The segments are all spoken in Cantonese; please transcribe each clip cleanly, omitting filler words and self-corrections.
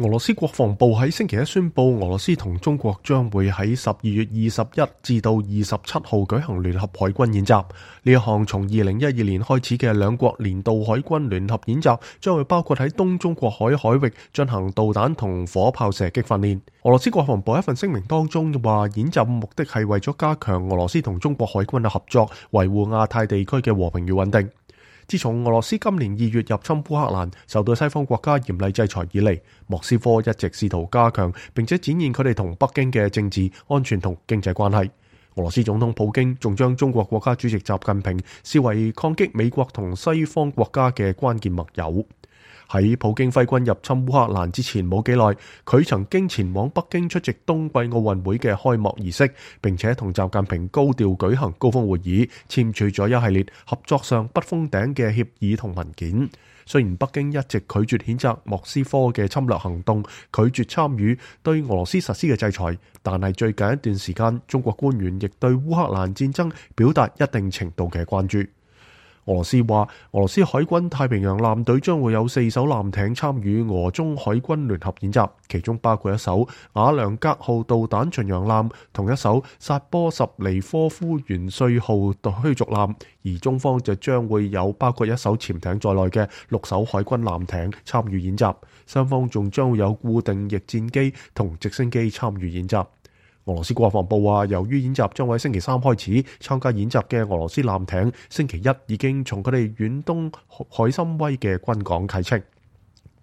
俄羅斯國防部喺星期一宣布，俄羅斯同中國將會喺12月21至到27號舉行聯合海軍演習。呢一項從2012年開始嘅兩國年度海軍聯合演習，將會包括喺東中國海海域進行導彈同火炮射擊訓練。俄羅斯國防部一份聲明當中話，演習目的係為咗加強俄羅斯同中國海軍嘅合作，維護亞太地區嘅和平與穩定。自從俄羅斯今年2月入侵烏克蘭，受到西方國家嚴厲制裁以嚟，莫斯科一直試圖加強並且展現佢哋同北京嘅政治、安全同經濟關係。俄羅斯總統普京仲將中國國家主席習近平視為抗擊美國同西方國家嘅關鍵盟友。喺普京揮軍入侵烏克蘭之前冇幾耐，佢曾經前往北京出席冬季奧運會嘅開幕儀式，並且同習近平高調舉行高峰會議，簽署咗一系列合作上不封頂嘅協議同文件。雖然北京一直拒絕譴責莫斯科嘅侵略行動，拒絕參與對俄羅斯實施嘅制裁，但係最近一段時間，中國官員亦對烏克蘭戰爭表達一定程度嘅關注。俄羅斯話，俄羅斯海軍太平洋艦隊將會有4艘艦艇參與俄中海軍聯合演習，其中包括一艘瓦良格號導彈巡洋艦同一艘薩波什尼科夫元帥號驅逐艦，而中方就將會有包括一艘潛艇在內嘅6艘海軍艦艇參與演習，雙方仲將會有固定翼戰機同直升機參與演習。俄羅斯國防部話，由於演習將喺星期3開始，參加演習嘅俄羅斯艦艇星期一已經從佢哋遠東海參崴嘅軍港啟程。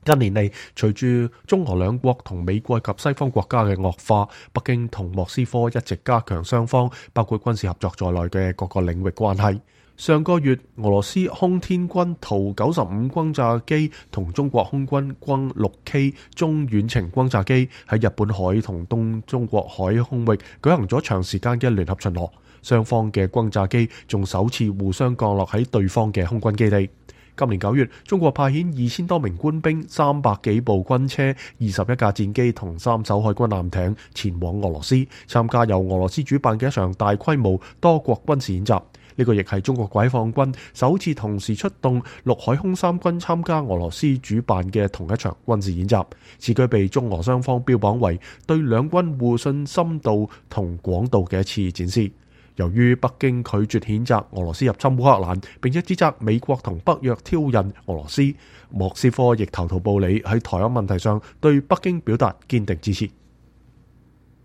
近年嚟，隨住中俄兩國同美國及西方國家嘅惡化，北京同莫斯科一直加強雙方包括軍事合作在內嘅各個領域關係。上個月，俄羅斯空天軍圖95轟炸機同中國空軍轟 6K 中遠程轟炸機喺日本海同東中國海空域舉行咗長時間嘅聯合巡邏，雙方嘅轟炸機仲首次互相降落喺對方嘅空軍基地。今年9月，中國派遣2000多名官兵、300幾部軍車、21架戰機同3艘海軍艦艇前往俄羅斯，參加由俄羅斯主辦嘅一場大規模多國軍事演習。呢個亦係中國解放軍首次同時出動陸海空三軍參加俄羅斯主辦嘅同一場軍事演習。此舉被中俄雙方標榜為對兩軍互信深度同廣度嘅一次展示。由於北京拒絕譴責俄羅斯入侵烏克蘭，並且指責美國同北約挑釁俄羅斯，莫斯科亦投桃報李，喺台灣問題上對北京表達堅定支持。